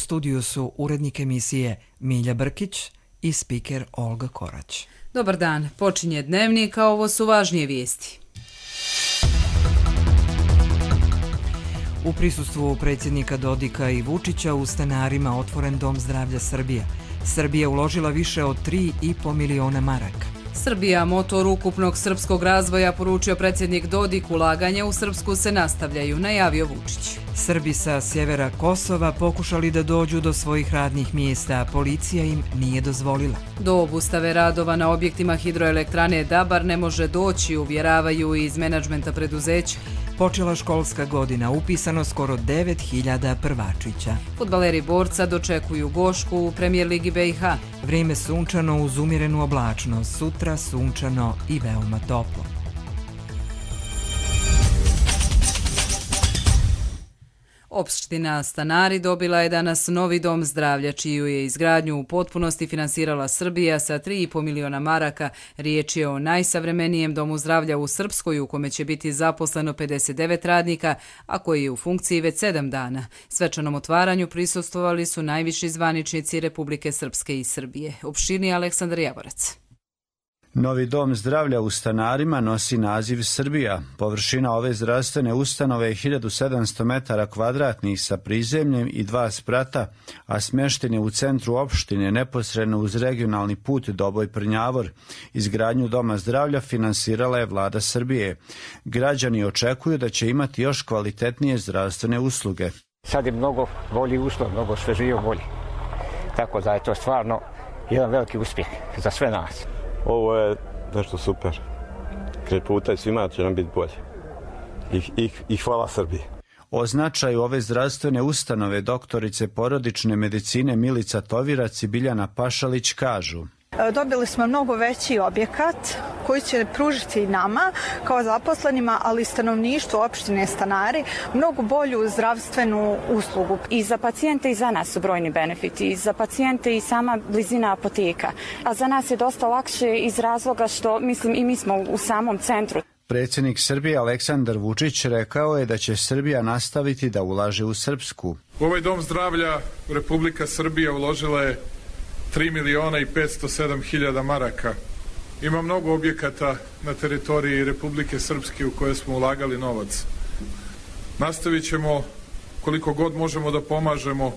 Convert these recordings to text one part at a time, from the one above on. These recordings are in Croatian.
U studiju su urednik emisije Milja Brkić i spiker Olga Korać. Dobar dan, počinje Dnevnik, a ovo su važnije vijesti. U prisustvu predsjednika Dodika i Vučića u Stanarima otvoren Dom zdravlja Srbija. Srbija uložila više od 3,5 miliona maraka. Srbija, motor ukupnog srpskog razvoja, poručio predsjednik Dodik, ulaganja u Srpsku se nastavljaju, najavio Vučić. Srbi sa sjevera Kosova pokušali da dođu do svojih radnih mjesta, a policija im nije dozvolila. Do obustave radova na objektima hidroelektrane Dabar ne može doći, uvjeravaju iz menadžmenta preduzeća. Počela školska godina, upisano skoro 9.000 prvačića. Fudbaleri Borca dočekuju Gošku u Premijer Ligi BiH. Vrijeme sunčano uz umjerenu oblačnost, sutra sunčano i veoma toplo. Opština Stanari dobila je danas novi dom zdravlja, čiju je izgradnju u potpunosti finansirala Srbija sa 3,5 miliona maraka. Riječ je o najsavremenijem domu zdravlja u Srpskoj, u kome će biti zaposleno 59 radnika, a koji je u funkciji već 7 dana. Svečanom otvaranju prisustvovali su najviši zvaničnici Republike Srpske i Srbije. Opširni Aleksandar Javorac. Novi dom zdravlja u Stanarima nosi naziv Srbija. Površina ove zdravstvene ustanove je 1700 metara kvadratnih sa prizemljem i 2 sprata, a smješten je u centru opštine, neposredno uz regionalni put Doboj-Prnjavor. Izgradnju doma zdravlja finansirala je vlada Srbije. Građani očekuju da će imati još kvalitetnije zdravstvene usluge. Sad je mnogo bolji uslov, mnogo svežije bolji. Tako da je to stvarno jedan veliki uspjeh za sve nas. Ovo je nešto super. Kraj puta i svima će nam biti bolje. I hvala Srbiji. O značaju ove zdravstvene ustanove doktorice porodične medicine Milica Tovirac i Biljana Pašalić kažu: Dobili smo mnogo veći objekat koji će pružiti nama kao zaposlenima, ali i stanovništvu opštine Stanari mnogo bolju zdravstvenu uslugu. I za pacijente i za nas su brojni benefiti, i za pacijente i sama blizina apoteka. A za nas je dosta lakše iz razloga što, i mi smo u samom centru. Predsjednik Srbije Aleksandar Vučić rekao je da će Srbija nastaviti da ulaže u Srpsku. U ovaj dom zdravlja Republika Srbija uložila je 3.507.000 maraka. Ima mnogo objekata na teritoriji Republike Srpske u koje smo ulagali novac. Nastavit ćemo koliko god možemo da pomažemo,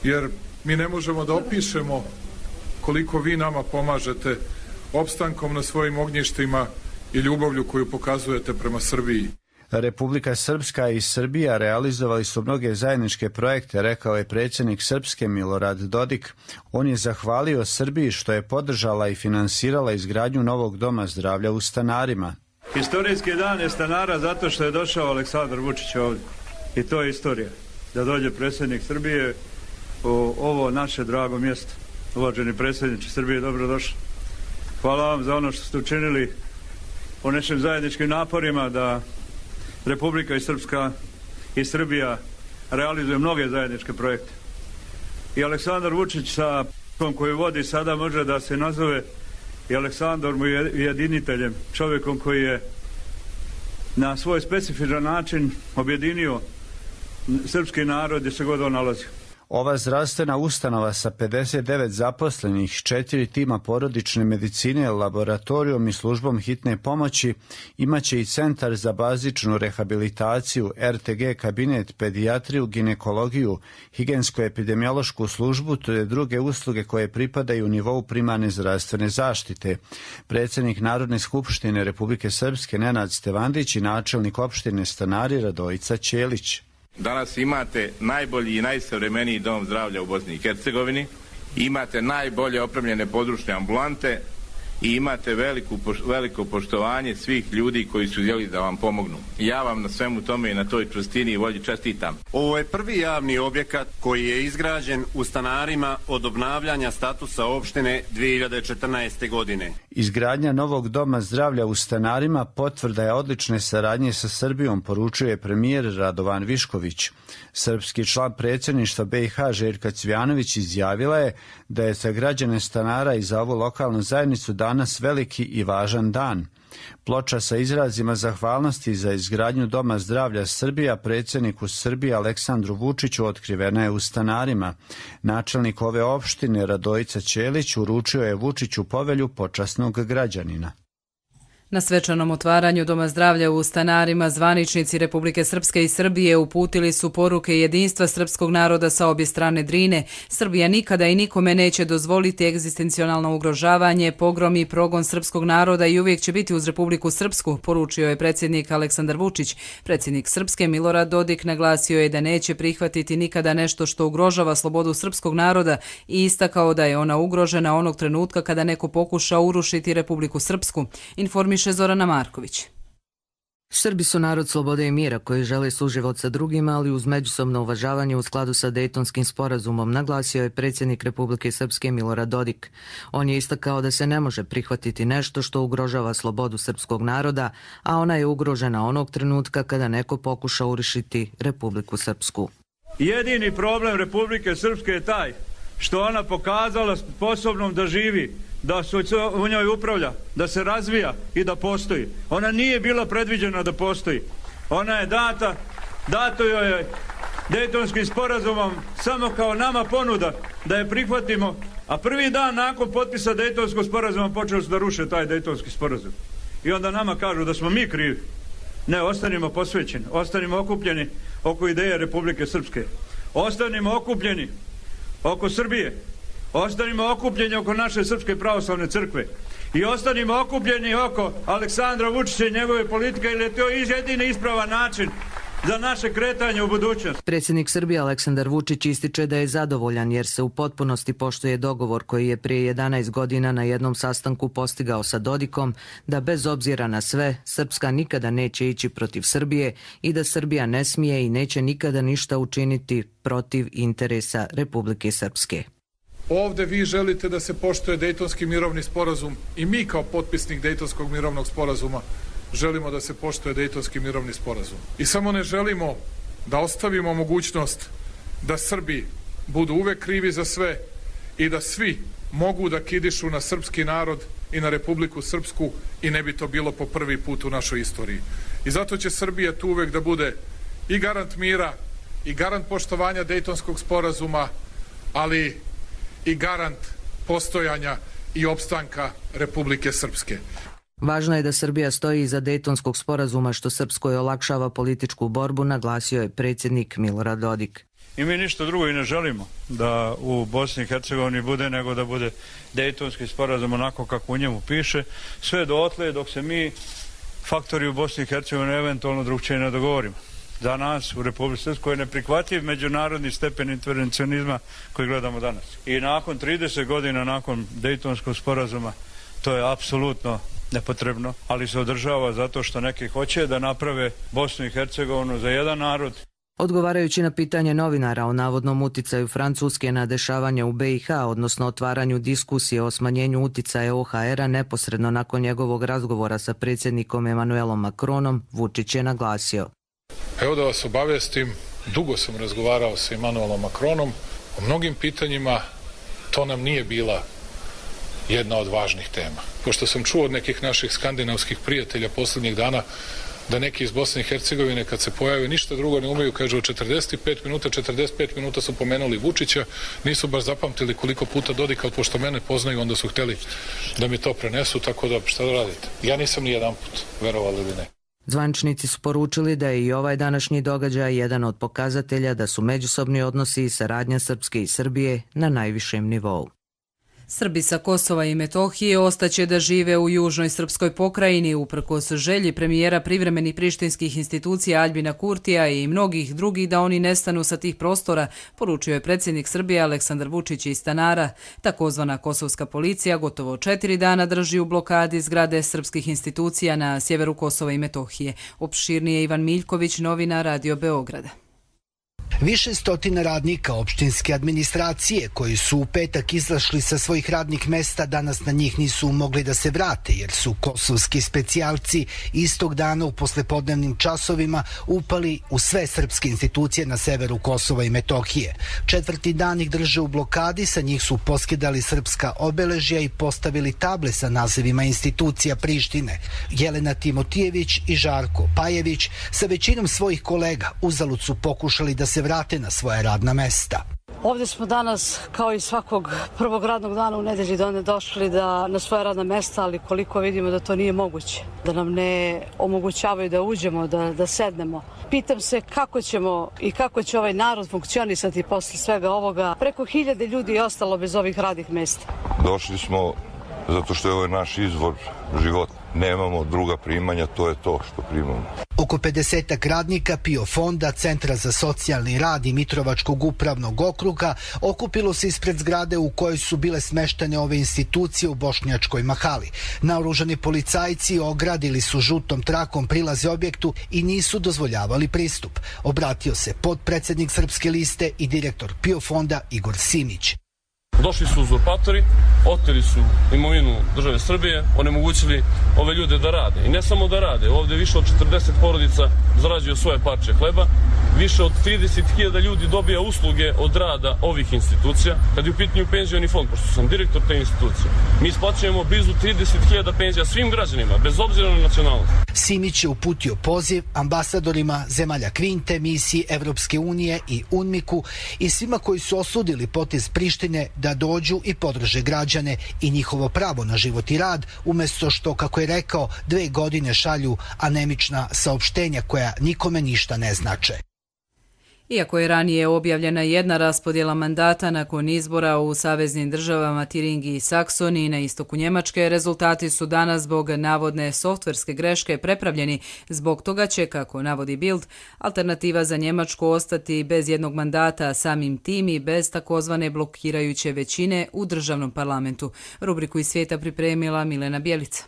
jer mi ne možemo da opišemo koliko vi nama pomažete opstankom na svojim ognjištima i ljubavlju koju pokazujete prema Srbiji. Republika Srpska i Srbija realizovali su mnoge zajedničke projekte, rekao je predsjednik Srpske Milorad Dodik. On je zahvalio Srbiji što je podržala i finansirala izgradnju novog doma zdravlja u Stanarima. Historijski dan je Stanara zato što je došao Aleksandar Vučić ovdje. I to je istorija. Da dođe predsjednik Srbije u ovo naše drago mjesto. Uvaženi predsjedniče Srbije, dobrodošli. Hvala vam za ono što ste učinili u našim zajedničkim naporima da Republika Srpska i Srbija realizuje mnoge zajedničke projekte. I Aleksandar Vučić sa koju vodi sada može da se nazove i Aleksandrom ujediniteljem, čovjekom koji je na svoj specifičan način objedinio srpski narod gdje se god on nalazi. Ova zdravstvena ustanova sa 59 zaposlenih, 4 tima porodične medicine, laboratorijom i službom hitne pomoći imaće i centar za bazičnu rehabilitaciju, RTG kabinet, pedijatriju, ginekologiju, higijensko-epidemiološku službu te druge usluge koje pripadaju nivou primarne zdravstvene zaštite. Predsjednik Narodne skupštine Republike Srpske Nenad Stevandić i načelnik opštine Stanari Radojica Ćelić. Danas imate najbolji i najsavremeniji dom zdravlja u Bosni i Hercegovini, imate najbolje opremljene područne ambulante i imate veliko poštovanje svih ljudi koji su htjeli da vam pomognu. Ja vam na svemu tome i na toj čvrstini i volji čestitam. Ovo je prvi javni objekat koji je izgrađen u Stanarima od obnavljanja statusa opštine 2014. godine. Izgradnja novog doma zdravlja u Stanarima potvrda je odlične saradnje sa Srbijom, poručuje premijer Radovan Višković. Srpski član predsjedništva BiH Željka Cvjanović izjavila je da je za građane Stanara i za ovu lokalnu zajednicu dan danas veliki i važan dan. Ploča sa izrazima zahvalnosti za izgradnju Doma zdravlja Srbija predsjedniku Srbije Aleksandru Vučiću otkrivena je u Stanarima. Načelnik ove opštine Radojica Ćelić uručio je Vučiću povelju počasnog građanina. Na svečanom otvaranju Doma zdravlja u Stanarima zvaničnici Republike Srpske i Srbije uputili su poruke jedinstva srpskog naroda sa obje strane Drine. Srbija nikada i nikome neće dozvoliti egzistencionalno ugrožavanje, pogrom i progon srpskog naroda i uvijek će biti uz Republiku Srpsku, poručio je predsjednik Aleksandar Vučić. Predsjednik Srpske Milorad Dodik naglasio je da neće prihvatiti nikada nešto što ugrožava slobodu srpskog naroda i istakao da je ona ugrožena onog trenutka kada neko pokuša urušiti Republiku Srpsku. Informiše Zorana Marković. Srbi su narod slobode i mira koji žele suživot sa drugima, ali uz međusobno uvažavanje u skladu sa Dejtonskim sporazumom, naglasio je predsjednik Republike Srpske Milorad Dodik. On je istakao da se ne može prihvatiti nešto što ugrožava slobodu srpskog naroda, a ona je ugrožena onog trenutka kada neko pokuša urušiti Republiku Srpsku. Jedini problem Republike Srpske je taj što ona pokazala sposobnom da živi, da se u njoj upravlja, da se razvija i da postoji. Ona nije bila predviđena da postoji. Ona je dato joj je Dejtonskim sporazumom samo kao nama ponuda da je prihvatimo, a prvi dan nakon potpisa Dejtonskog sporazuma počeli su da ruše taj Dejtonski sporazum. I onda nama kažu da smo mi krivi. Ne, ostanimo posvećeni, ostanimo okupljeni oko ideje Republike Srpske. Ostanimo okupljeni oko Srbije. Ostanimo okupljeni oko naše Srpske pravoslavne crkve i ostanimo okupljeni oko Aleksandra Vučića i njegove politike, jer je to jedini ispravan način za naše kretanje u budućnost. Predsjednik Srbije Aleksandar Vučić ističe da je zadovoljan jer se u potpunosti poštuje dogovor koji je prije 11 godina na jednom sastanku postigao sa Dodikom, da bez obzira na sve, Srpska nikada neće ići protiv Srbije i da Srbija ne smije i neće nikada ništa učiniti protiv interesa Republike Srpske. Ovde vi želite da se poštuje Dejtonski mirovni sporazum i mi kao potpisnik Dejtonskog mirovnog sporazuma želimo da se poštuje Dejtonski mirovni sporazum. I samo ne želimo da ostavimo mogućnost da Srbi budu uvek krivi za sve i da svi mogu da kidišu na srpski narod i na Republiku Srpsku i ne bi to bilo po prvi put u našoj istoriji. I zato će Srbija tu uvek da bude i garant mira i garant poštovanja Dejtonskog sporazuma, ali i garant postojanja i opstanka Republike Srpske. Važno je da Srbija stoji iza Dejtonskog sporazuma što Srpskoj olakšava političku borbu, naglasio je predsjednik Milorad Dodik. I mi ništa drugo i ne želimo da u Bosni i Hercegovini bude nego da bude Dejtonski sporazum onako kako u njemu piše, sve dotle dok se mi faktori u Bosni i Hercegovini eventualno drugčije ne dogovorimo. Za nas u Republici Srpskoj je neprihvatljiv međunarodni stepen intervencionizma koji gledamo danas. I nakon 30 godina nakon Dejtonskog sporazuma to je apsolutno nepotrebno, ali se održava zato što neki hoće da naprave Bosnu i Hercegovinu za jedan narod. Odgovarajući na pitanje novinara o navodnom uticaju Francuske na dešavanja u BiH, odnosno otvaranju diskusije o smanjenju uticaja OHR-a neposredno nakon njegovog razgovora sa predsjednikom Emmanuelom Macronom, Vučić je naglasio. Evo da vas obavestim, dugo sam razgovarao sa Emmanuelom Macronom o mnogim pitanjima, to nam nije bila jedna od važnih tema. Pošto sam čuo od nekih naših skandinavskih prijatelja posljednjih dana da neki iz Bosne i Hercegovine kad se pojave ništa drugo ne umeju, kažu od 45 minuta su pomenuli Vučića, nisu baš zapamtili koliko puta Dodika, ali pošto mene poznaju onda su hteli da mi to prenesu, tako da šta da radite. Ja nisam ni jedan put, verovali ili ne. Zvaničnici su poručili da je i ovaj današnji događaj jedan od pokazatelja da su međusobni odnosi i saradnja Srpske i Srbije na najvišem nivou. Srbi sa Kosova i Metohije ostaće da žive u južnoj srpskoj pokrajini uprkos želji premijera privremenih prištinskih institucija Aljbina Kurtija i mnogih drugih da oni nestanu sa tih prostora, poručio je predsjednik Srbije Aleksandar Vučić iz Stanara. Takozvana kosovska policija gotovo 4 dana drži u blokadi zgrade srpskih institucija na sjeveru Kosova i Metohije. Opširnije Ivan Miljković, novina Radio Beograda. Više stotina radnika opštinske administracije koji su u petak izašli sa svojih radnih mesta danas na njih nisu mogli da se vrate jer su kosovski specijalci istog dana u poslepodnevnim časovima upali u sve srpske institucije na severu Kosova i Metohije. 4. dan ih drže u blokadi, sa njih su poskidali srpska obeležja i postavili table sa nazivima institucija Prištine. Jelena Timotijević i Žarko Pajević sa većinom svojih kolega uzalud su pokušali da se vrate na svoja radna mesta. Ovdje smo danas, kao i svakog prvog radnog dana u nedelji, došli na svoja radna mesta, ali koliko vidimo da to nije moguće, da nam ne omogućavaju da uđemo, da sednemo. Pitam se kako ćemo i kako će ovaj narod funkcionisati posle svega ovoga. Preko 1000 ljudi je ostalo bez ovih radnih mesta. Došli smo zato što je ovo naš izvor života. Nemamo druga primanja, to je to što primamo. Oko 50 radnika PIO fonda, Centra za socijalni rad i Mitrovačkog upravnog okruga okupilo se ispred zgrade u kojoj su bile smeštene ove institucije u Bošnjačkoj mahali. Naoružani policajci ogradili su žutom trakom prilaze objektu i nisu dozvoljavali pristup. Obratio se potpredsednik Srpske liste i direktor PIO fonda Igor Simić. Došli su uzurpatori, oteli su imovinu države Srbije, onemogućili ove ljude da rade. I ne samo da rade, ovdje više od 40 porodica zarađuju svoje parče hleba, više od 30.000 ljudi dobija usluge od rada ovih institucija. Kad je u pitanju penzioni fond, pošto sam direktor te institucije, mi isplaćujemo blizu 30.000 penzija svim građanima, bez obzira na nacionalnost. Simić je uputio poziv ambasadorima zemalja Kvinte, misiji Evropske unije i UNMIK-u i svima koji su osudili potez Prištine da dođu i podrže građane i njihovo pravo na život i rad, umjesto što, kako je rekao, 2 godine šalju anemična saopštenja koja nikome ništa ne znače. Iako je ranije objavljena jedna raspodjela mandata nakon izbora u saveznim državama Tiringi i Saksoniji na istoku Njemačke, rezultati su danas zbog navodne softverske greške prepravljeni. Zbog toga će, kako navodi Bild, alternativa za Njemačku ostati bez jednog mandata, samim tim i bez takozvane blokirajuće većine u državnom parlamentu. Rubriku iz svijeta pripremila Milena Bjelica.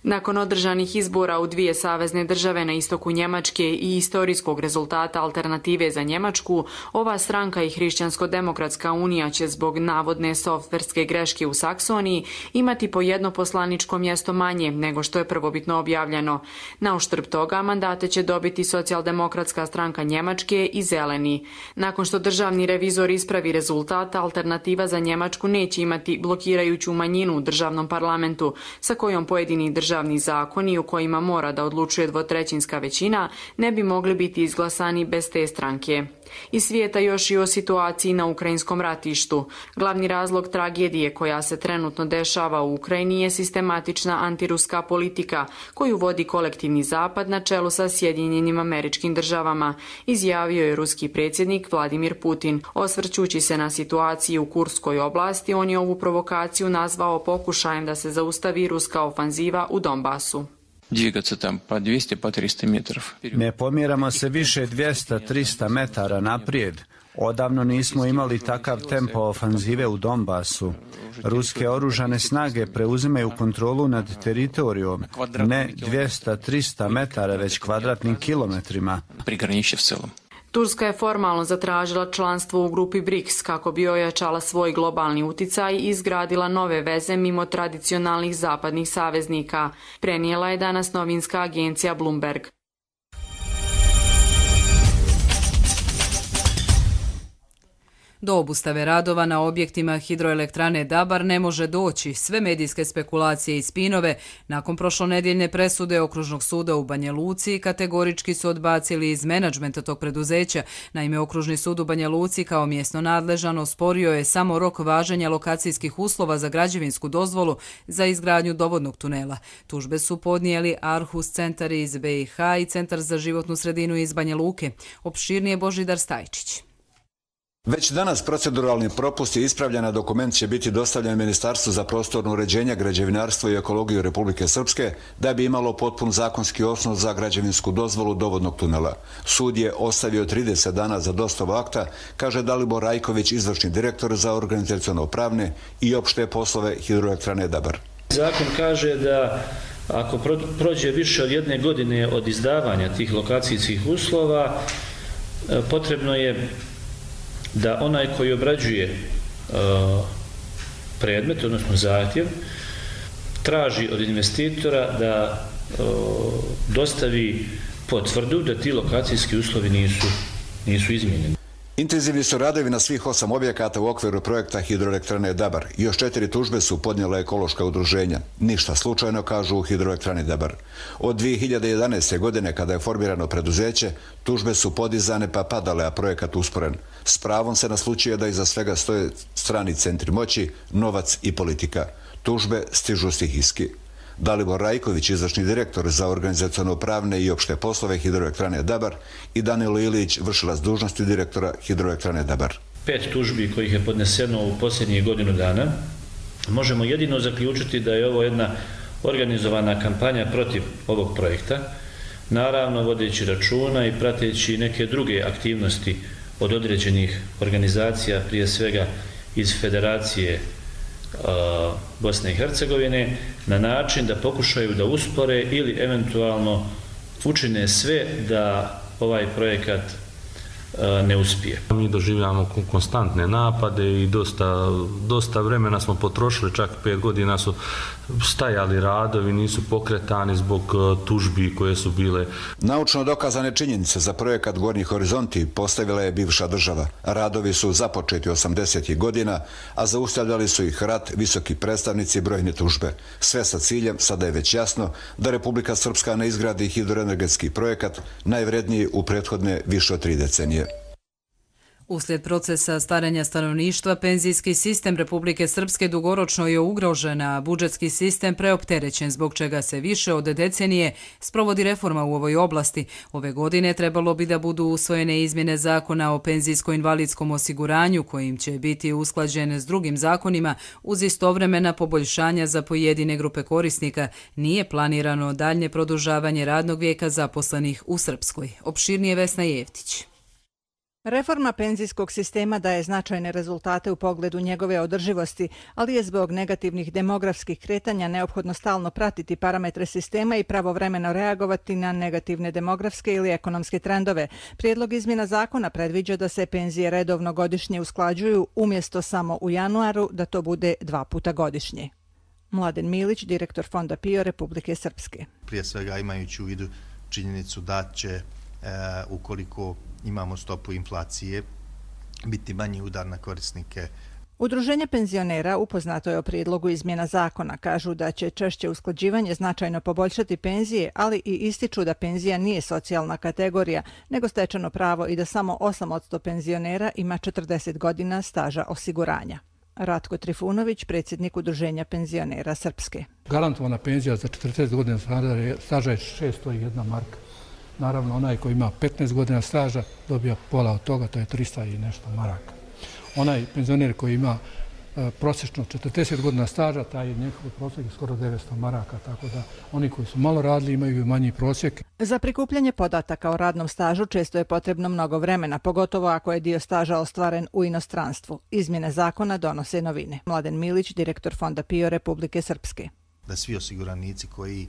Nakon održanih izbora u 2 savezne države na istoku Njemačke i istorijskog rezultata alternative za Njemačku, ova stranka i Hrišćansko-demokratska unija će zbog navodne softverske greške u Saksoniji imati po jedno poslaničko mjesto manje nego što je prvobitno objavljeno. Na uštrb toga mandate će dobiti Socijaldemokratska stranka Njemačke i Zeleni. Nakon što državni revizor ispravi rezultat, alternativa za Njemačku neće imati blokirajuću manjinu u državnom parlamentu, sa kojom pojedini državni zakoni u kojima mora da odlučuje 2/3 većina ne bi mogli biti izglasani bez te stranke. Iz svijeta još i o situaciji na ukrajinskom ratištu. Glavni razlog tragedije koja se trenutno dešava u Ukrajini je sistematična antiruska politika koju vodi kolektivni zapad na čelu sa Sjedinjenim Američkim Državama, izjavio je ruski predsjednik Vladimir Putin. Osvrćući se na situaciju u Kurskoj oblasti, on je ovu provokaciju nazvao pokušajem da se zaustavi ruska ofanziva u Donbasu. Ne pomjeramo se više 200-300 metara naprijed. Odavno nismo imali takav tempo ofanzive u Donbasu. Ruske oružane snage preuzimaju kontrolu nad teritorijom, ne 200-300 metara, već kvadratnim kilometrima. Turska je formalno zatražila članstvo u grupi BRICS kako bi ojačala svoj globalni uticaj i izgradila nove veze mimo tradicionalnih zapadnih saveznika, prenijela je danas novinska agencija Bloomberg. Do obustave radova na objektima hidroelektrane Dabar ne može doći. Sve medijske spekulacije i spinove nakon prošlonedjeljne presude Okružnog suda u Banja Luci kategorički su odbacili iz menadžmenta tog preduzeća. Naime, Okružni sud u Banja Luci kao mjesno nadležan osporio je samo rok važenja lokacijskih uslova za građevinsku dozvolu za izgradnju dovodnog tunela. Tužbe su podnijeli Arhus centar iz BiH i Centar za životnu sredinu iz Banja Luke. Opširnije Božidar Stajčić. Već danas proceduralni propust je ispravljen, a dokument će biti dostavljen Ministarstvu za prostorno uređenje, građevinarstvo i ekologiju Republike Srpske da bi imalo potpun zakonski osnov za građevinsku dozvolu dovodnog tunela. Sud je ostavio 30 dana za dostavu akta, kaže Dalibor Rajković, izvršni direktor za organizaciono-pravne i opšte poslove hidroelektrane Dabar. Zakon kaže da ako prođe više od 1 godine od izdavanja tih lokacijskih uslova, potrebno je da onaj koji obrađuje predmet, odnosno zahtjev, traži od investitora da dostavi potvrdu da ti lokacijski uslovi nisu izmijenjeni. Intenzivni su radovi na svih 8 objekata u okviru projekta hidroelektrane Dabar. Još 4 tužbe su podnijela ekološka udruženja. Ništa slučajno, kažu u hidroelektrani Dabar. Od 2011. godine, kada je formirano preduzeće, tužbe su podizane pa padale, a projekat usporen. S pravom se naslučuje da iza svega stoje strani centri moći, novac i politika. Tužbe stižu stihijski. Dalibor Rajković, izvršni direktor za organizaciono-pravne i opšte poslove hidroelektrane Dabar, i Danilo Ilić, vršilac dužnosti direktora hidroelektrane Dabar. 5 tužbi kojih je podneseno u posljednjih godinu dana. Možemo jedino zaključiti da je ovo jedna organizovana kampanja protiv ovog projekta, naravno vodeći računa i prateći neke druge aktivnosti od određenih organizacija, prije svega iz Federacije Bosne i Hercegovine, na način da pokušaju da uspore ili eventualno učine sve da ovaj projekat ne uspije. Mi doživljamo konstantne napade i dosta vremena smo potrošili, čak 5 godina su stajali radovi, nisu pokretani zbog tužbi koje su bile. Naučno dokazane činjenice za projekat Gornji horizonti postavila je bivša država. Radovi su započeti 80. godina, a zaustavljali su ih rat, visoki predstavnici i brojne tužbe. Sve sa ciljem, sada je već jasno, da Republika Srpska ne izgradi hidroenergetski projekat, najvredniji u prethodne više od 3 decenije. Uslijed procesa starenja stanovništva, penzijski sistem Republike Srpske dugoročno je ugrožen, a budžetski sistem preopterećen, zbog čega se više od decenije sprovodi reforma u ovoj oblasti. Ove godine trebalo bi da budu usvojene izmjene zakona o penzijsko-invalidskom osiguranju, kojim će biti usklađen s drugim zakonima uz istovremena poboljšanja za pojedine grupe korisnika. Nije planirano daljnje produžavanje radnog vijeka zaposlenih u Srpskoj. Opširnije Vesna Jevtić. Reforma penzijskog sistema daje značajne rezultate u pogledu njegove održivosti, ali je zbog negativnih demografskih kretanja neophodno stalno pratiti parametre sistema i pravovremeno reagovati na negativne demografske ili ekonomske trendove. Prijedlog izmjena zakona predviđa da se penzije redovno godišnje usklađuju, umjesto samo u januaru, da to bude 2 puta godišnje. Mladen Milić, direktor Fonda PIO Republike Srpske. Prije svega imajući u vidu činjenicu da će, ukoliko imamo stopu inflacije, biti manji udar na korisnike. Udruženje penzionera upoznato je o prijedlogu izmjena zakona. Kažu da će češće usklađivanje značajno poboljšati penzije, ali i ističu da penzija nije socijalna kategorija, nego stečeno pravo i da samo 8% penzionera ima 40 godina staža osiguranja. Ratko Trifunović, predsjednik Udruženja penzionera Srpske. Garantovana penzija za 40 godina staža je 601 marka. Naravno, onaj koji ima 15 godina staža dobija pola od toga, to je 300 i nešto maraka. Onaj penzioner koji ima prosječno 40 godina staža, taj je njegov prosjek skoro 900 maraka, tako da oni koji su malo radili imaju manji prosjek. Za prikupljanje podataka o radnom stažu često je potrebno mnogo vremena, pogotovo ako je dio staža ostvaren u inostranstvu. Izmjene zakona donose novine. Mladen Milić, direktor Fonda PIO Republike Srpske. Da svi osiguranici koji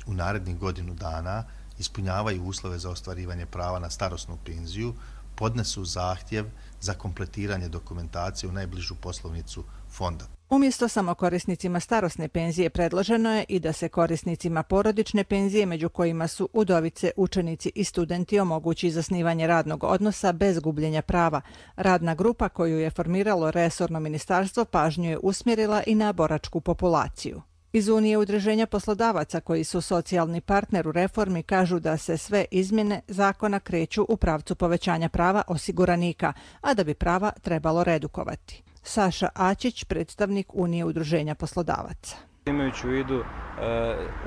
u narednih godinu dana ispunjavaju uslove za ostvarivanje prava na starosnu penziju, podnesu zahtjev za kompletiranje dokumentacije u najbližu poslovnicu fonda. Umjesto samo korisnicima starosne penzije predloženo je i da se korisnicima porodične penzije, među kojima su udovice, učenici i studenti, omogući zasnivanje radnog odnosa bez gubljenja prava. Radna grupa koju je formiralo resorno ministarstvo pažnju je usmjerila i na boračku populaciju. Iz Unije udruženja poslodavaca koji su socijalni partner u reformi kažu da se sve izmjene zakona kreću u pravcu povećanja prava osiguranika, a da bi prava trebalo redukovati. Saša Ačić, predstavnik Unije udruženja poslodavaca. Imajući u vidu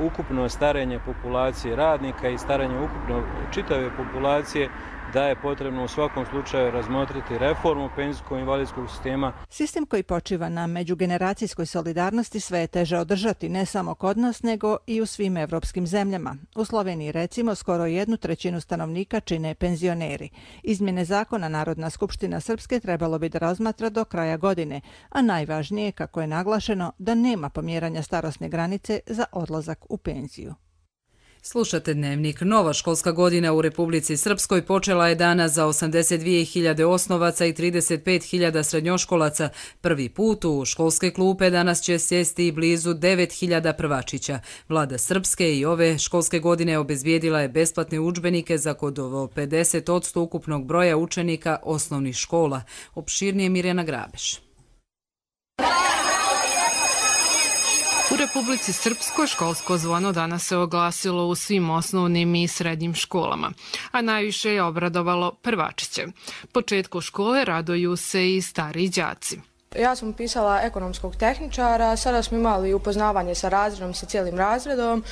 ukupno starenje populacije radnika i starenje ukupno čitave populacije, da je potrebno u svakom slučaju razmotriti reformu penzijsko-invalidskog sistema. Sistem koji počiva na međugeneracijskoj solidarnosti sve je teže održati, ne samo kod nas, nego i u svim evropskim zemljama. U Sloveniji, recimo, skoro 1/3 stanovnika čine penzioneri. Izmjene zakona Narodna skupština Srpske trebalo bi da razmatra do kraja godine, a najvažnije, kako je naglašeno, da nema pomjeranja starosne granice za odlazak u penziju. Slušate Dnevnik. Nova školska godina u Republici Srpskoj počela je danas za 82.000 osnovaca i 35.000 srednjoškolaca. Prvi put u školske klupe danas će sjesti i blizu 9.000 prvačića. Vlada Srpske i ove školske godine obezbijedila je besplatne udžbenike za gotovo 50% ukupnog broja učenika osnovnih škola. Opširnije Mirjana Grabeš. U Republici Srpskoj školsko zvono danas se oglasilo u svim osnovnim i srednjim školama, a najviše je obradovalo prvačiće. Početku škole raduju se i stariji đaci. Ja sam upisala ekonomskog tehničara, sada smo imali upoznavanje sa razredom, sa cijelim razredom.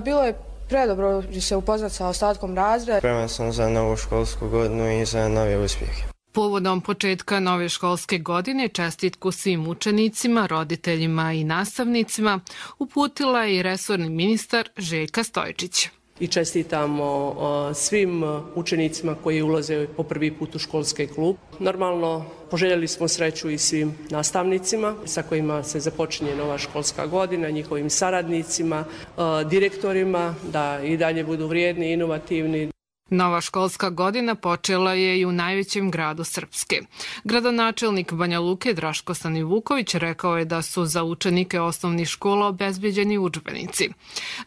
Bilo je predobro se upoznati sa ostatkom razreda. Spreman sam za novu školsku godinu i za nove uspjehe. Povodom početka nove školske godine čestitku svim učenicima, roditeljima i nastavnicima uputila je i resorni ministar Željka Stojčić. I čestitamo svim učenicima koji ulaze po prvi put u školski klub. Normalno, poželjeli smo sreću i svim nastavnicima sa kojima se započinje nova školska godina, njihovim saradnicima, direktorima, da i dalje budu vrijedni i inovativni. Nova školska godina počela je i u najvećem gradu Srpske. Gradonačelnik Banja Luke Draško Stanivuković rekao je da su za učenike osnovnih škola obezbeđeni udžbenici.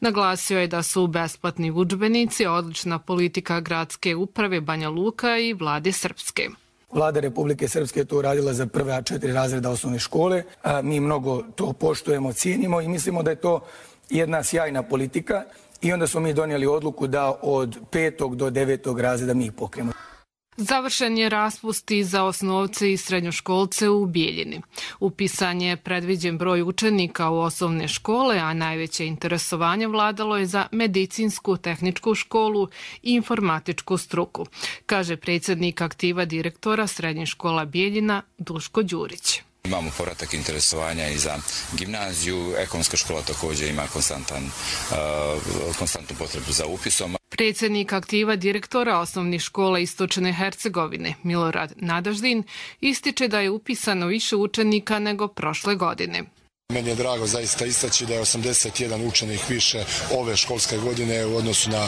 Naglasio je da su besplatni udžbenici odlična politika gradske uprave Banja Luka i vlade Srpske. Vlada Republike Srpske je to uradila za prve 4 razreda osnovne škole. Mi mnogo to poštujemo, cijenimo i mislimo da je to jedna sjajna politika. I onda smo mi donijeli odluku da od 5. do 9. razreda mi ih pokrijemo. Završen je raspust i za osnovce i srednjoškolce u Bijeljini. Upisan je predviđen broj učenika u osnovne škole, a najveće interesovanje vladalo je za medicinsku, tehničku školu i informatičku struku, kaže predsjednik aktiva direktora srednjih škola Bijeljina Duško Đurić. Imamo povratak interesovanja i za gimnaziju, ekonomska škola također ima konstantnu potrebu za upisom. Predsjednik aktiva direktora osnovnih škola Istočne Hercegovine, Milorad Nadaždin, ističe da je upisano više učenika nego prošle godine. Meni je drago zaista istaći da je 81 učenik više ove školske godine u odnosu na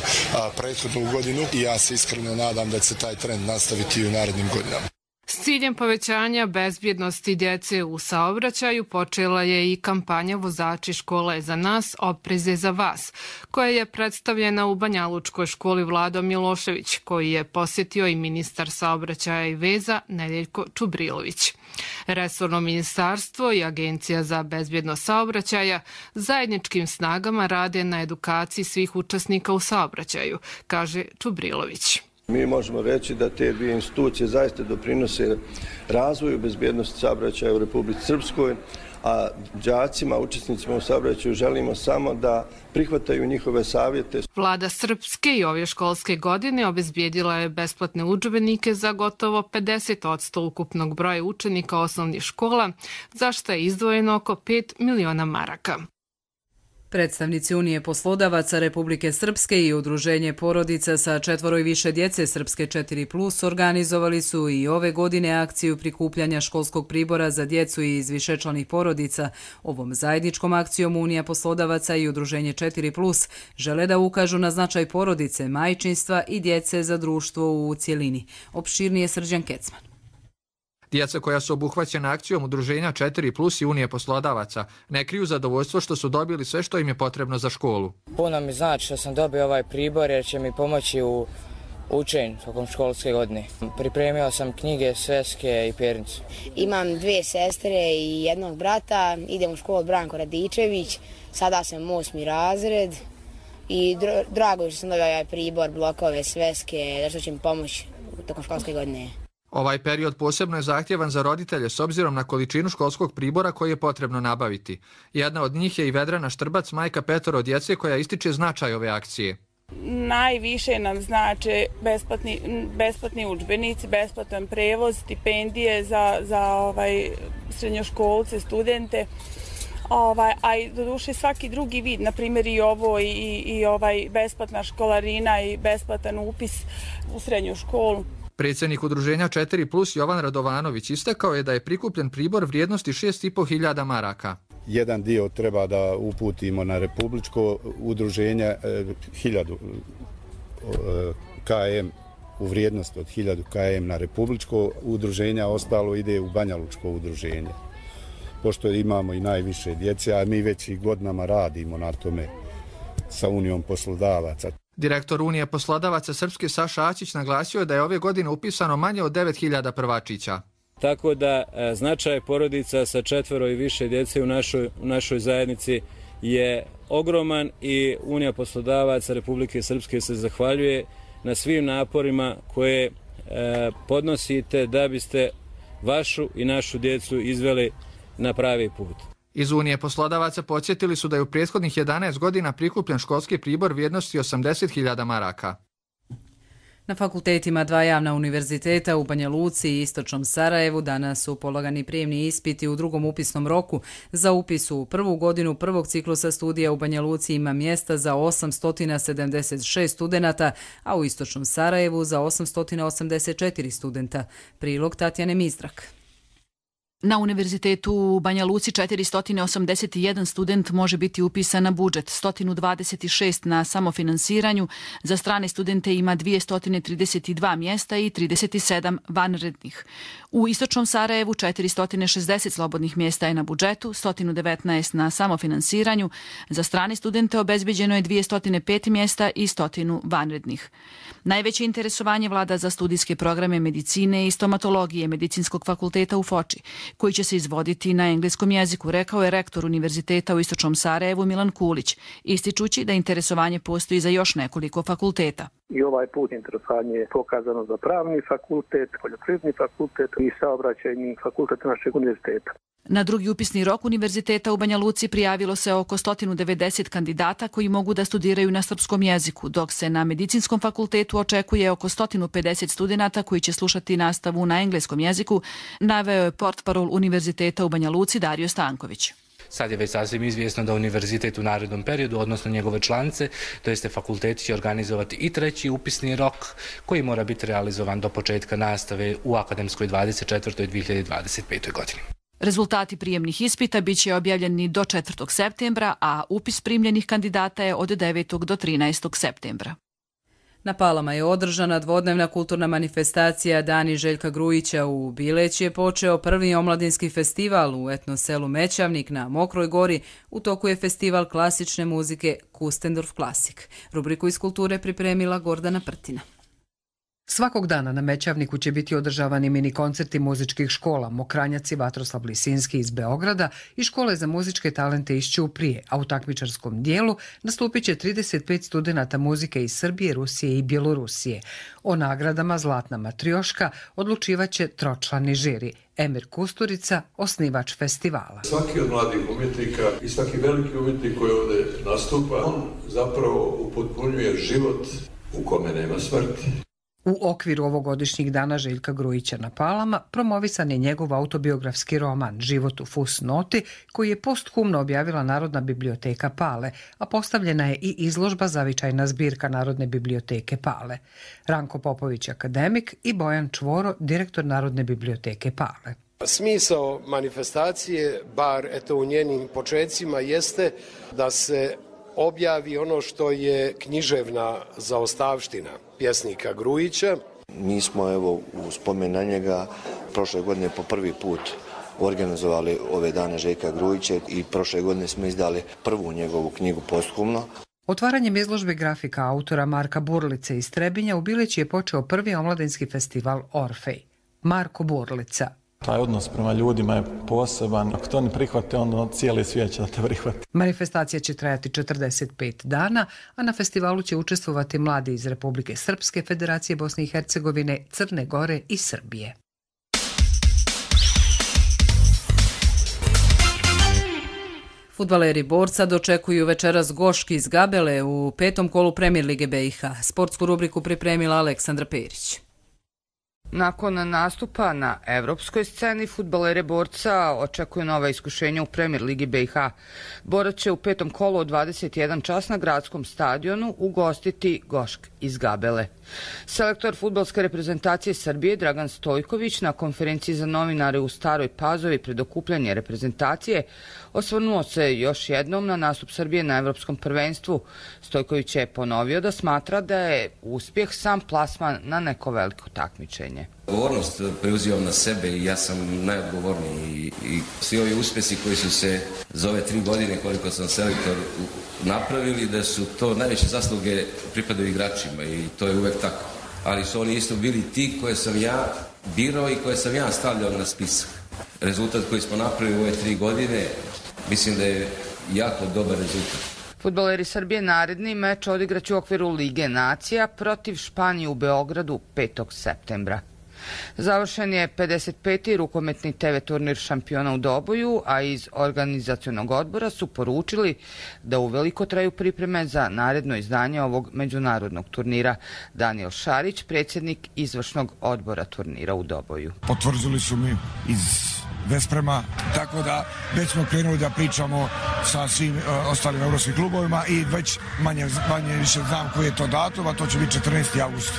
prethodnu godinu i ja se iskreno nadam da će se taj trend nastaviti i u narednim godinama. S ciljem povećanja bezbjednosti djece u saobraćaju počela je i kampanja Vozači škola je za nas, oprez je za vas, koja je predstavljena u Banjalučkoj školi Vlado Milošević, koji je posjetio i ministar saobraćaja i veza Nedeljko Čubrilović. Resorno ministarstvo i Agencija za bezbjednost saobraćaja zajedničkim snagama rade na edukaciji svih učesnika u saobraćaju, kaže Čubrilović. Mi možemo reći da te dvije institucije zaista doprinose razvoju bezbjednosti saobraćaja u Republici Srpskoj, a đacima, učesnicima u saobraćaju želimo samo da prihvataju njihove savjete. Vlada Srpske i ove školske godine obezbijedila je besplatne udžbenike za gotovo 50% ukupnog broja učenika osnovnih škola, za što je izdvojeno oko 5 miliona maraka. Predstavnici Unije poslodavaca Republike Srpske i Udruženje porodica sa 4 i više djece Srpske 4+ organizovali su i ove godine akciju prikupljanja školskog pribora za djecu iz višečlanih porodica. Ovom zajedničkom akcijom Unija poslodavaca i Udruženje 4+ žele da ukažu na značaj porodice, majčinstva i djece za društvo u cjelini. Opširnije Srđan Kecman. Djeca koja su obuhvaćena akcijom Udruženja 4+ i Unije poslodavaca ne kriju zadovoljstvo što su dobili sve što im je potrebno za školu. Puno mi znači što sam dobio ovaj pribor jer će mi pomoći u učenju tokom školske godine. Pripremio sam knjige, sveske i pernicu. Imam 2 sestre i jednog brata, idem u školu Branko Radičević, sada sam 8. razred i drago je što sam dobio ovaj pribor, blokove, sveske, da što će mi pomoći tokom školske godine. Ovaj period posebno je zahtjevan za roditelje s obzirom na količinu školskog pribora koji je potrebno nabaviti. Jedna od njih je i Vedrana Štrbac, majka 5 djece, koja ističe značaj ove akcije. Najviše nam znači besplatni udžbenici, besplatan prevoz, stipendije za srednjoškolce, studente. A i doduše svaki drugi vid, na primjer i ovo i besplatna školarina i besplatan upis u srednju školu. Predsjednik Udruženja 4+ Jovan Radovanović istakao je da je prikupljen pribor vrijednosti 6.500 maraka. jedan dio treba da uputimo na republičko udruženje, 1000 km u vrijednost od 1000 km na republičko udruženje, a ostalo ide u Banja Lučko udruženje. Pošto imamo i najviše djece, a mi već i godinama radimo na tome sa Unijom poslodavaca. Direktor Unije poslodavaca Srpske Saša Aćić naglasio je da je ove godine upisano manje od 9000 prvačića. Tako da značaj porodica sa 4 i više djece u našoj zajednici je ogroman i Unija poslodavaca Republike Srpske se zahvaljuje na svim naporima koje podnosite da biste vašu i našu djecu izveli na pravi put. Iz Unije poslodavaca podsjetili su da je u prethodnih 11 godina prikupljen školski pribor vrijednosti 80.000 maraka. Na fakultetima 2 javna univerziteta u Banja Luci i Istočnom Sarajevu danas su polagani prijemni ispiti u drugom upisnom roku. Za upis u prvu godinu prvog ciklusa studija u Banja Luci ima mjesta za 876 studenata, a u Istočnom Sarajevu za 884 studenta. Prilog Tatjane Mizdrak. Na Univerzitetu u Banja Luci 481 student može biti upisan na budžet, 126 na samofinansiranju, za strane studente ima 232 mjesta i 37 vanrednih. U Istočnom Sarajevu 460 slobodnih mjesta je na budžetu, 119 na samofinansiranju, za strane studente obezbeđeno je 205 mjesta i 100 vanrednih. Najveće interesovanje vlada za studijske programe medicine i stomatologije Medicinskog fakulteta u Foči, koji će se izvoditi na engleskom jeziku, rekao je rektor Univerziteta u Istočnom Sarajevu Milan Kulić, ističući da interesovanje postoji za još nekoliko fakulteta. I ovaj put interesovanje je pokazano za pravni fakultet, poljoprivredni fakultet i saobraćajni fakultet našeg univerziteta. Na drugi upisni rok Univerziteta u Banja Luci prijavilo se oko 190 kandidata koji mogu da studiraju na srpskom jeziku, dok se na Medicinskom fakultetu očekuje oko 150 studenata koji će slušati nastavu na engleskom jeziku, naveo je portparol Univerziteta u Banja Luci Dario Stanković. Sad je već sasvim izvjesno da univerzitet u narednom periodu, odnosno njegove članice, to jeste fakulteti, će organizovati i treći upisni rok koji mora biti realizovan do početka nastave u akademskoj 24. i 2025. godini. Rezultati prijemnih ispita bit će objavljeni do 4. septembra, a upis primljenih kandidata je od 9. do 13. septembra. Na Palama je održana dvodnevna kulturna manifestacija Dani Željka Grujića. U Bileći je počeo prvi omladinski festival u etno selu Mećavnik na Mokroj gori. U toku je festival klasične muzike Kustendorf Klasik. Rubriku iz kulture pripremila Gordana Prtina. Svakog dana na Mećavniku će biti održavani mini koncerti muzičkih škola Mokranjac i Vatroslav Lisinski iz Beograda i škole za muzičke talente iz Ćuprije, a u takmičarskom dijelu nastupit će 35 studenata muzike iz Srbije, Rusije i Bjelorusije. O nagradama Zlatna matrioška odlučivaće tročlani žiri. Emir Kusturica, osnivač festivala. Svaki od mladih umjetnika i svaki veliki umjetnik koji ovdje nastupa, on zapravo upotpunjuje život u kome nema smrti. U okviru ovogodišnjih dana Željka Grujića na Palama promovisan je njegov autobiografski roman Život u fusnoti, koji je posthumno objavila Narodna biblioteka Pale, a postavljena je i izložba Zavičajna zbirka Narodne biblioteke Pale. Ranko Popović, akademik, i Bojan Čvoro, direktor Narodne biblioteke Pale. Smisao manifestacije, bar eto u njenim počecima, jeste da se objavi ono što je književna zaostavština pjesnika Grujića. Mi smo evo u spomen na njega prošle godine po prvi put organizovali ove dane Željka Grujića i prošle godine smo izdali prvu njegovu knjigu posthumno. Otvaranjem izložbe grafika autora Marka Burlice iz Trebinja u Bileći je počeo prvi omladinski festival Orfej. Marko Burlica. Taj odnos prema ljudima je poseban. Ako to ne prihvate, onda cijeli svijet će da te prihvati. Manifestacija će trajati 45 dana, a na festivalu će učestvovati mladi iz Republike Srpske, Federacije Bosne i Hercegovine, Crne Gore i Srbije. Fudbaleri Borca dočekuju večeras Goški iz Gabele u 5. kolu Premier Lige BiH. Sportsku rubriku pripremila Aleksandra Perić. Nakon nastupa na evropskoj sceni, fudbalere Borca očekuju nova iskušenja u Premier Ligi BiH. Borac će u 5. kolu od 21 čas na gradskom stadionu ugostiti Gošk iz Gabele. Selektor fudbalske reprezentacije Srbije Dragan Stojković na konferenciji za novinare u Staroj Pazovi pred okupljanje reprezentacije osvrnuo se još jednom na nastup Srbije na Evropskom prvenstvu. Stojković je ponovio da smatra da je uspjeh sam plasman na neko veliko takmičenje. Odgovornost preuzimam na sebe i ja sam najodgovorniji i svi ovi uspjesi koji su se za ove 3 godine koliko sam selektor napravili, da su to najveće zasluge pripadaju igračima i to je uvek tako. Ali su oni isto bili ti koje sam ja birao i koje sam ja stavljao na spisak. Rezultat koji smo napravili u ove 3 godine mislim da je jako dobar rezultat. Fudbaleri Srbije naredni meč odigraće u okviru Lige nacija protiv Španije u Beogradu 5. septembra. Završen je 55. rukometni TV turnir šampiona u Doboju, a iz organizacionog odbora su poručili da uveliko traju pripreme za naredno izdanje ovog međunarodnog turnira. Daniel Šarić, predsjednik izvršnog odbora turnira u Doboju. Potvrdili su mi iz Vesprema, tako da već smo krenuli da pričamo sa svim ostalim evropskim klubovima i već manje više znam koji je to datum, a to će biti 14. avgust.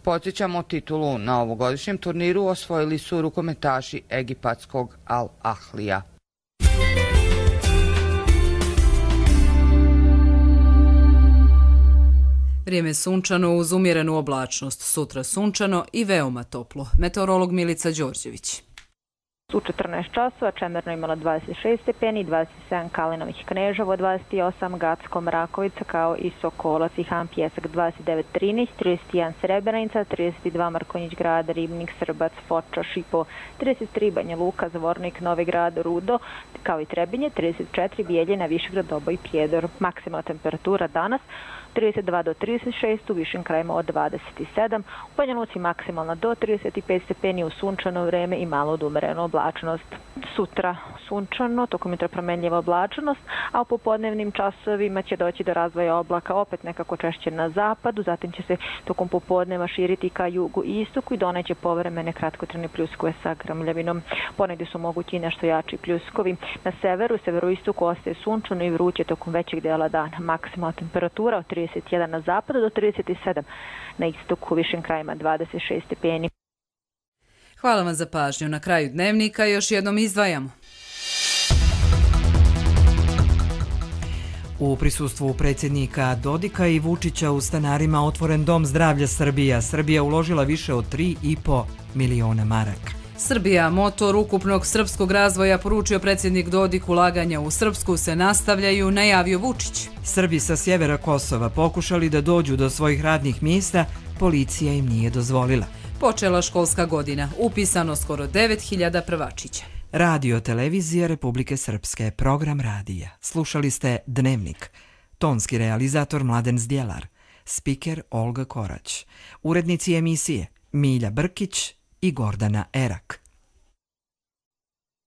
Podsjećamo, titulu na ovogodišnjem turniru osvojili su rukometaši egipatskog Al Ahlija. Vrijeme sunčano uz umjerenu oblačnost. Sutra sunčano i veoma toplo. Meteorolog Milica Đorđević. U 14 časova Čemerno imala 26 stepeni, 27 Kalinovih Kneževo, 28 Gacko Mrakovica kao i Sokolac i Han Pjesak 29 Trinić, 31 Srebrenica, 32 Markonjić Grad, Ribnik, Srbac, Foča, Šipo, 33 Banja Luka, Zvornik, Novi Grad, Rudo kao i Trebinje, 34 Bijeljina, Višegrad, Doboj i Prijedor. Maksimalna temperatura danas 32 do 36, u višim krajima od 27, u Banja Luci maksimalna do 35 stepeni, u sunčano vreme i malo odumerenu oblačnost. Sutra sunčano, tokom jutra promenljiva oblačnost, a u popodnevnim časovima će doći do razvoja oblaka opet nekako češće na zapadu, zatim će se tokom popodneva širiti ka jugu i istoku i doneće povremene kratkotrajne pljuskove sa grmljavinom. Ponegdje su mogući nešto jači pljuskovi. Na severu, severoistoku ostaje sunčano i vruće tokom većeg dela dana. Maksimalna temperatura od 31 na zapadu do 37 na istoku, u višim krajima 26 stepeni. Hvala vam za pažnju. Na kraju dnevnika još jednom izdvajamo. U prisustvu predsjednika Dodika i Vučića u stanarima otvoren Dom zdravlja Srbija. Srbija uložila više od 3,5 miliona maraka. Srbija, motor ukupnog srpskog razvoja, poručio predsjednik Dodik. Ulaganja u Srpsku se nastavljaju, najavio Vučić. Srbi sa sjevera Kosova pokušali da dođu do svojih radnih mjesta, policija im nije dozvolila. Počela školska godina, upisano skoro 9000 prvačića. Radio televizija Republike Srpske, program radija. Slušali ste Dnevnik. Tonski realizator Mladen Zdjelar, spiker Olga Korać, urednici emisije Milja Brkić i Gordana Erak.